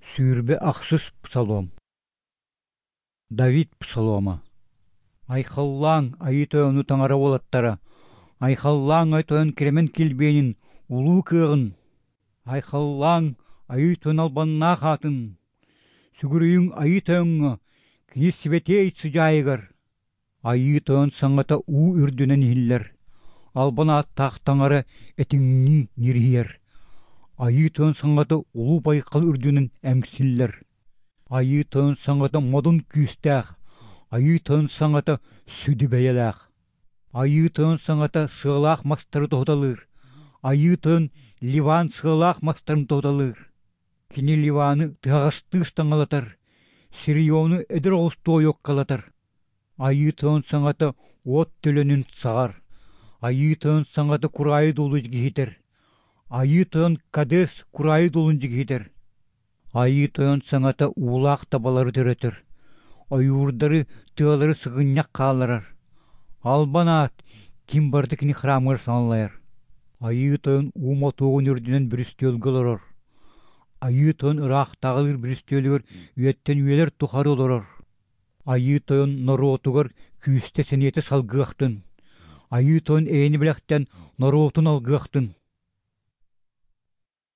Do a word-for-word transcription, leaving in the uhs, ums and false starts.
Сүүрбэ ахсыс псалом. Давид псалома. Айхаллааҥ, Айыы Тойону Таҥара уолаттара! Айхаллааҥ Айыы Тойон кэрэмэн килбиэнин, улуу кыаҕын! Айхаллааҥ, Айыы Тойон албаннаах аатын! Сүгүрүйүҥ Айыы Тойоҥҥо, кини сибэтиэй сыдьаайыгар! Айыы Тойон саҥата уу үрдүнэн иһиллэр, албан ааттаах Таҥара этиҥнии ньириһийэр. Айыы Тойон саҥата улуу байҕал үрдүнэн эҥсиллэр. Айыы Тойон саҥата модун күүстээх, Айыы Тойон саҥата сүдү бэйэлээх. Айыы Тойон саҥата сыалаах мастары тоһуталыыр, Айыы Тойон Ливан сыалаах мастарын тоһуталыыр. Кини Ливаны тыһаҕастыы ыстаҥалатар, Сириону эдэр оҕустуу ойуоккалатар. Айыы Тойон саҥата уот төлөнүн саҕар, Айыы Тойон саҥата кураайы дуолу дьигиһитэр, Айыы Тойон Кадес кураайы дуолун дьигиһитэр. Айыы Тойон саҥата уулаах табалары төрөтөр, ойуурдары, тыалары сыгынньах хаалларар. Албан аат, ким барыта кини храмыгар саҥалайар. Айыы Тойон уу мотуогун үрдүнэн бүрүстүөлгэ олорор. Айыы Тойон ыраахтааҕылыыр бүрүстүөлүгэр үйэттэн үйэлэр тухары олорор. Айыы Тойон норуотугар күүстэ сэниэтэ салгыахтын. Айыы Тойон эйэни бэлэхтээн норуотун алгыахтын.